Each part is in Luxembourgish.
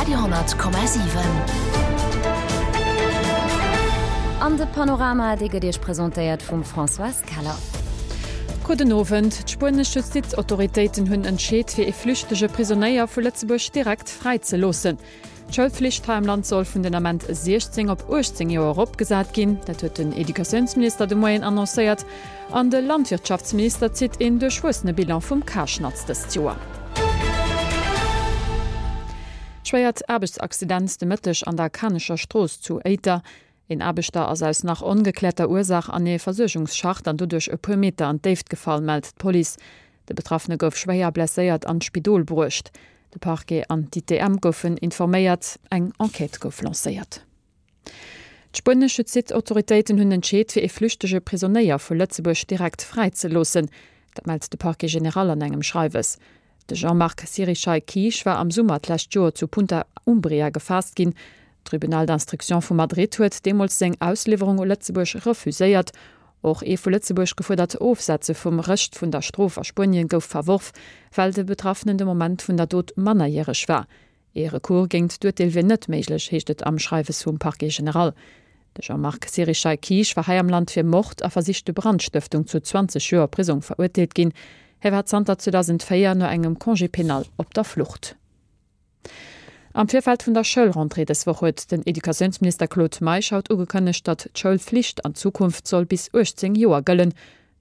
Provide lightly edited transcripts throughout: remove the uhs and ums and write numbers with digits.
Radio 10,7. An de Panorama, dee gëtt Iech presentéiert vum Françoise Keller. Gudden Owend. D'spuenesch Justizautoritéiten hunn entscheet, fir ee flüchtege Prisonéier vu Lëtzebuerg direkt fräi ze loossen. D'Schoulflicht hei am Land soll vun den Ament 16 op 18 Joer eropgesat ginn. Dat huet den Educatiounsminister de Moien annoncéiert. An de Landwirtschaftsminister zitt een duerchwuessene Bilan vum Karschnatz dëst Joer. Schwéiert Aarbechtsaccident de Mëtteg an der Kanecher Strooss zu Éiter. Een Aarbechter ass aus nach ongekläerter Ursaach an ee Versuergungsschacht an doduerch e puer Meter an d'Déift gefall, mellt d'Police. De Betraffene gouf schwéier blesséiert an d'Spidol bruecht. De Parquet an d'ITM goufen informéiert, eng Enquête gouf lancéiert. D'spuenesch Justizautoritéiten hunn entscheet, fir ee flüchtege Prisonéier vu Lëtzebuerg direkt fräizeloossen. Dat mellt de Parquet général an engem Schreiwes. De Jean-Marc Sirichai Kiisch war am Summer d'lescht Joer zu Punta Umbria gefaasst ginn. D'Tribunal d'instruction vu Madrid huet deemools seng Ausliwwerung u Lëtzebuerg refuséiert. Och ee vu Lëtzebuerg gefuerdert Ofsetze vum Rescht vun der Strof a Spuenien gouf verworf, well de Betraffenen de Moment vun der Dot mannerjäreg war. Ee Recours géint d'Urteel wier net méiglech, heescht et am Schreiwes vum Parquet général. De Jean-Marc Sirichai Kiisch war hei am Land fir Mord a versichte Brandstëftung zu 20 Joer Prisong verurteelt ginn. Hie war zanter 2004 no engem Congé pénal op der Flucht. Am Virfeld vun der Schoulrentrée dës Woch huet den Educatiounsminister Claude Meisch haut ugekënnegt, datt d'Schoulflicht an Zukunft soll bis 18 Joer gëllen.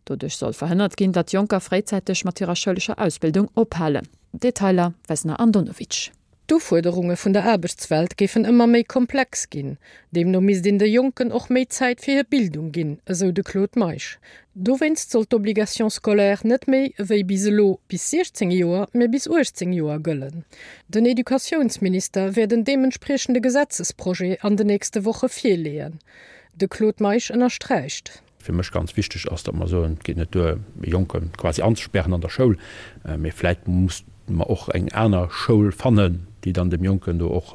Doduerch soll verhënnert ginn, datt Jonker fréizäiteg mat hirer schoulescher Ausbildung ophalen. Detailer, Vesna Andonovic. D'Ufuerderunge vun der Aarbechtswelt géifen ëmmer méi komplex ginn. Deemno misst een de Jonken och méi Zäit fir hir Bildung ginn, esou de Claude Meisch. Dowéinst soll d'Obligation scolaire net méi ewéi bis elo bis 16 Joer, mä bis 18 Joer gëllen. Den Educatiounsminister wäert en deementspriechende Gesetzesprojet an de nächste Woche virleeën. De Claude Meisch ënnersträicht. Fir mech ganz wichteg ass, datt mer soen, et geet net duer, e Jonke quasi anzespären an der Schoul, mee vläit muss mer och eng aner Schoul fannen, déi dann dem Jonken do och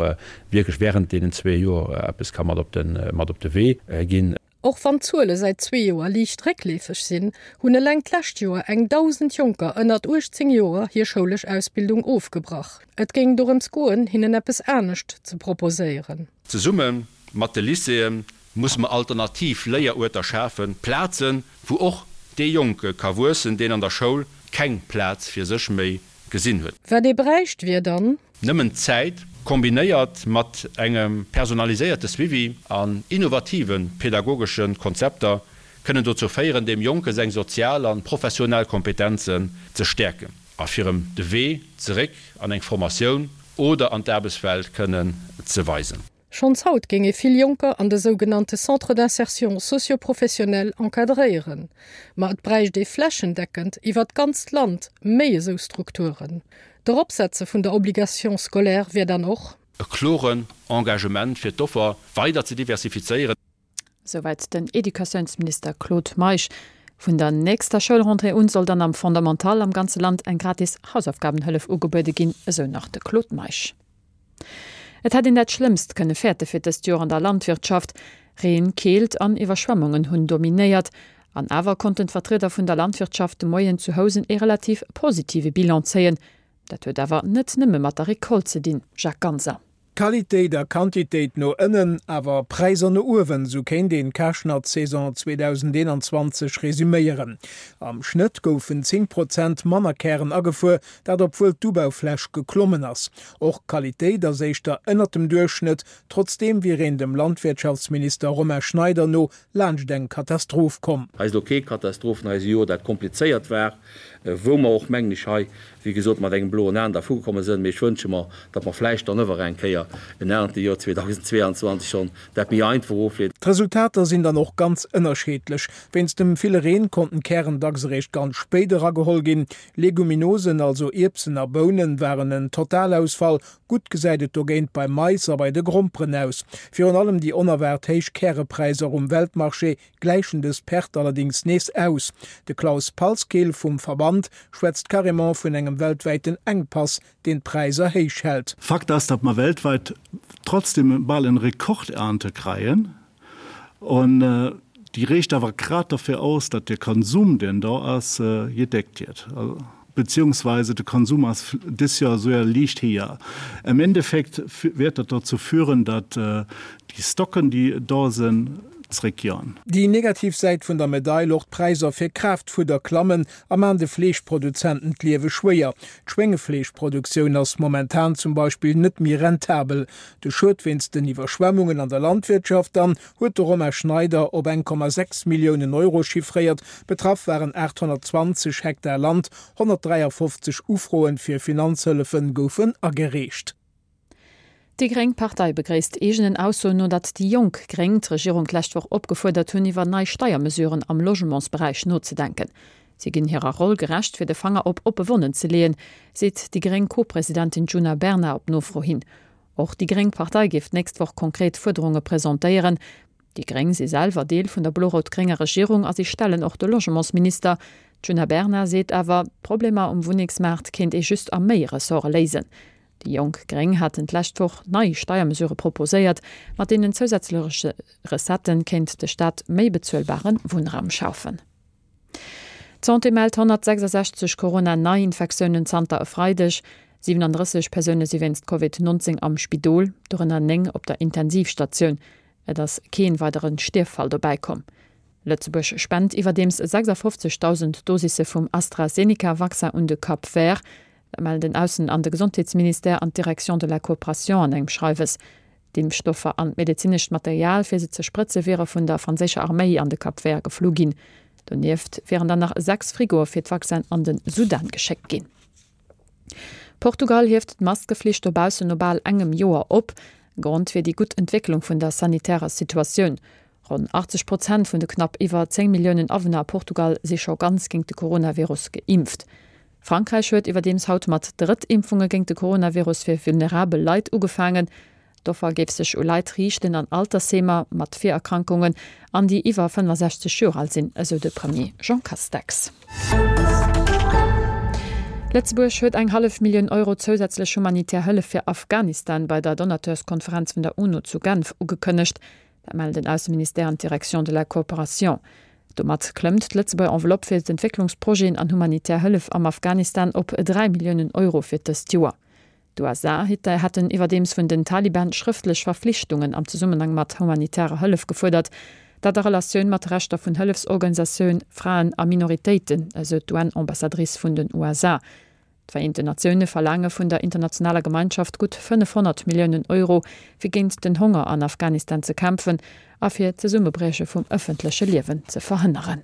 wierklech während deenen zwee Joer eppes ka mat op de, mat op de Wee ginn. Och wann d'Zuele säit zwee Joer liicht réckleefeg sinn, hunn eleng d'lescht Joer eng 1.000 Jonker ënnert 18 Joer hir schoulesch Ausbildung ofgebrach. Et géing dorëms goen, hinnen eppes anescht ze proposéieren. Zesumme mat de Lycéeë musse mer alternativ Léieruerter schafen, Plazen, wou och dee Jonke ka wuessen, deen an der Schoul keng Plaz fir sech méi gesinn huet. Wat ee bräicht, wier dann. Nëmmen d'Zäit, kombinéiert mat engem personaliséierte Suivi an innovative pedagogesche Konzepter, kënnen dozou féieren, deem Jonke seng sozial an professionell Kompetenzen ze stäerken a fir em de Wee zeréck an eng Formatioun oder an d'Aarbechtswelt kënnen ze weisen. Schonns haut géing ee vill Jonker an de sougenannte Centres d'insertion socio-professionnelle encadréieren. Ma et bräicht ee flächendeckend iwwer d'ganzt Land méi esou Strukturen. D'Eropsetze vun der Obligation scolaire wier dann och. E kloren Engagement fir d'Offer weider ze diversifizéieren. Souwäit den Educatiounsminister Claude Meisch. Vun der nächster Schoulrentrée un soll dann am Fondamental am ganze Land eng gratis Hausaufgabenhëllef ugebuede ginn, esou nach de Claude Meisch. Et hätt een dat Schlëmmst kënne fäerte fir dëst Joer an der Landwirtschaft. Reen, Keelt an Iwwerschwemmungen hunn dominéiert. An awer konnten d'Vertrieder vun der Landwirtschaft de Moien zu Housen ee relativ positive Bilan zéien. Dat huet awer net nëmme mat der Recolte ze dinn, Jacques Ganser. Qualitéit a Quantitéit no ënnen, awer Präisser no uewen, sou kéint een d'Karschnatz-Saison 2021 resuméieren. Am Schnëtt goufen 10 Prozent manner Kären agefuer, dat obwuel d'Ubaufläch geklommen ass. Och d'Qualitéit ass éischter ënnert dem Duerchschnëtt, trotzdeem wier een dem Landwirtschaftsminister Romain Schneider no laanscht eng Katastroph komm. Hei ass elo kee Katastroph, hei ass e Joer, dat komplizéiert war, wou mer och, mengen ech, hei, wéi gesot, mat engem bloen Aen dervugekomme sënn. Mee ech wënsche mer, datt mer vläicht dann ëwer eng Kéier en Erntejoer 2022 schonn dat méi einfach ofleeden. D'Resultater sinn dann och ganz ënnerscheedlech. Wéinst dem ville Reen konnten d'Kären dacks eréischt ganz spéit erageholl ginn. Leguminosen, also Ierbsen a Bounen, waren en Totalausfall. Gutt gesäit et dogéint beim Mais a bei de Gromperen aus. Virun allem déi onerwaart héich Kärepräisser um Weltmarché gläichen dës Perte allerdéngs nees aus. De Klaus Palzkill vum Verband schwätzt carrément vun engem weltwäiten Enkpass, deen d'Präisser héich hält. Fakt ass, datt mer weltweit trotzdem bal en Rekordernte kreien. An déi reecht awer grad derfir aus, datt de Konsum, deen do ass, gedeckt jiët. Beziehungsweise de Konsum ass dës Joer souer liicht héijer. Am Endeffekt wäert dat dozou führen, datt déi Stocken, déi do sinn, zréckjoen. Déi negativ Säit vun der Medail, Och d'Präisser fir Kraaftfudder klammen a man de Fleeschproduzenten d'Liewe schwéier. D'Schwéngefleeschproduktioun ass momentan zum Beispill net méi rentabel. De Schued wéinst den Iwwerschwemmungen an der Landwirtschaft dann huet de Romain Schneider op 1,6 Milliounen Euro chiffréiert. Betraff waren 820 Hektar Land, 153 Ufroen fir Finanzhëllefe goufen agereecht. Déi gréng Partei begréisst eegenen Aussoen no, datt déi jonk Gréng d'Regierung d'lescht Woch opgefuerdert hunn, iwwer nei Steiermesuren am Logementsberäich nozedenken. Si ginn hirer Roll gerecht, fir de Fanger op oppe Wonnen ze leeën, seet déi gréng Co-Presidentin Djuna Bernard op Nofro hin. Och déi gréng Partei géif d'nächst Woch konkret Fuerderunge presentéieren. Déi gréng si selwer Deel vun der blo-rout-grénger Regierung a si stellen och de Logementsminister. D'Djuna Bernard seet awer, d'Problemer um Wunnengsmaart kéint ee just a méi Ressorte léisen. Déi jonk gréng haten d'lescht Woch nei Steiermesurë proposéiert, mat deenen zousätzleche Recettë kéint de Staat méi bezuelbare Wunnraum schafen. D'Santé mellt 166 Corona-Neiinfektiounen zanter e Freideg. 37 Persoune si wéinst Covid 19 am Spidol, dorënner 9 op der Intensivstatioun. Et ass kee weidere Stierffall dobäi komm. Lëtzebuerg spent iwwerdeems 56.000 Dosisse vum AstraZeneca-Vaccin un de Cap Vert. Dat mellen den Aussen an de Gesondheetsministère an d'Direction de la Coopération an engem Schreiwes. D'Impfstoffer an d'medezinescht Material fir se ze sprëtze wiere vun der franséischer Arméi an de Cap Vert geflu ginn. Donieft wieren dann nach 6 Frigoe fir d'Vaccin an de Sudan geschéckt ginn. Portugal hieft d'Maskeflicht dobaussen no bal engem Joer op. Grond wier déi gutt Entwécklung vun der sanitärer Situatioun. Ronn 80 Prozent vun de knapp iwwer 10 Milliounen Awunner a Portugal si scho ganz géint de Coronavirus geimpft. Frankräich huet iwwerdeems haut mat Drëttimpfunge géint de Coronavirus fir vulnerabel Leit ugefaangen. D'Offer géif sech u Leit riichten an Altersheemer, mat Virerkrankungen an déi iwwer 65 Joer al sinn, esou de Premier Jean Castex. Lëtzebuerg huet eng hallef Millioun Euro zousätzlech humanitär Hëllef fir Afghanistan bei der Donateurskonferenz vun der UNO zu Genf ugekënnegt. Dat mellen den Ausseministère an d'Direction de la Coopération. Domat klëmmt d'Lëtzebuerger Enveloppe fir d'Entwécklungsprojeten an humanitär Hëllef am Afghanistan op 3 Milliounen Euro fir dëst Joer. D'USA hätten iwwerdeems vun den Taliban schrëftlech Verflichtungen am Zesummenhang mat humanitärer Hëllef gefuerdert, dat a Relatioun mat Rechter vun Hëllefsorganisatioun, Fraen a Minoritéiten, esou d'UN-Ambassadrice vun den USA. D'Vereenten Natioune verlaange vun der internationaler Gemeinschaft gutt 500 Milliounen Euro, fir géint den Honger an Afghanistan ze kämpfen a fir d'Zesummebrieche vum ëffentleche Liewen ze verhënneren.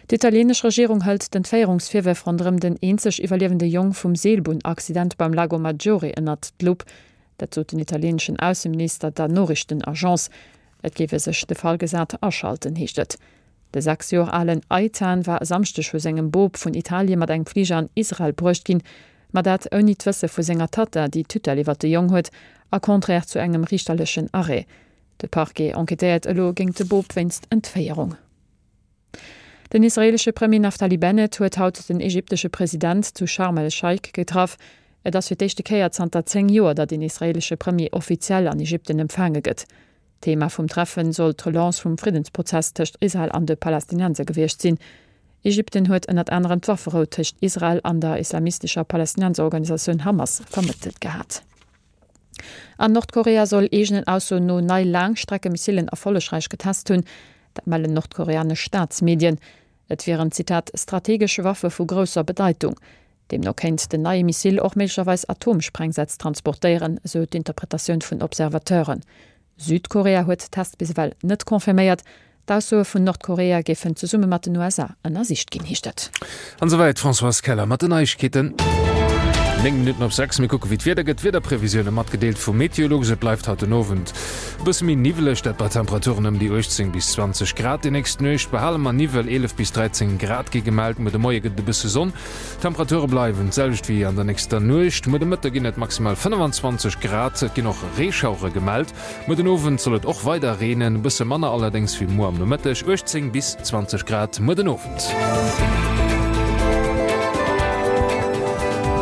D'italieenesch Regierung hëlt d'Entféierungsvirwërf ronderëm den eenzeg iwwerliewende Jong vum Seelbunn-Accident beim Lago Maggiore ënnert d'Lupp. Dat sot den italieeneschen Ausseminister der Noriichtenagence. Et géif e sech de Fall gesat aschalten, heescht et. De 6 Joer alen Eitan war e Samschdeg vu sengem Bop vun Italie mat engem Fliger an Israel bruecht ginn, ma dat ouni d'Wësse vu senger Tatta, déi d'Tutelle iwwer de Jong huet, a contraire zu engem riichterlechen Arrêt. De Parquet enquêtéiert elo géingt de Bop wéinst Entféierung. Den israeelesche Premier Naftali Bennett huet haut den ägyptesche President zu Scharm el-Scheich getraff. Et ass fir d'éischte Kéier zanter 10 Joer, datt een israeelesche Premier offiziell an Ägypten empfaange gëtt. Thema vum Treffen soll d'Relance vum Friddensprozess tëscht Israel an de Palästinenser gewiescht sinn. Ägypten huet ënnert anerem d'Wafferou tëscht Israel an der islamistescher Palästinenserorganisatioun Hamas vermëttelt gehat. An Nordkorea soll eegenen Aussoen no nei Laangstreckemissilen erfollegräich getest hunn. Dat mellen nordkoreanesch Staatsmedien. Et wieren, Zitat, strategesch Waffe vu grousser Bedeitung. Deemno kéint den neie Missil och méiglecherweis Atomsprengsätz transportéieren, esou d'Interpretatioun vun Observateuren. Südkorea huet d'Test bis ewell net confirméiert. D'Aussoe vun Nordkorea géifen zesumme mat den USA ënnersicht ginn, heescht et. An esouwäit d'Françoise Keller mat den Neiegkeeten. 9 Minutten op 6, mir kucke wéi d'Wieder gëtt. D'Wiederprevisioune matgedeelt vum Meteolux. Et bleift haut den Owend e bësse méi niwweleg, dat bei Temperaturen ëm déi 18 bis 20 Grad. Déi nächst Nuecht behale mer Niwwel, 11 bis 13 Grad gi gemellt. Muer de Moie gëtt et e bësse Sonn. D'Temperature bleiwen d'selwecht wéi an der nächster Nuecht. Muer de Mëtte ginn et maximal 25 Grad, et ginn och Reeschauere gemellt. Muer den Owend soll et och weider reenen, e bësse manner allerdéngs wéi muer am Nomëtteg, 18 bis 20 Grad muer den Owend.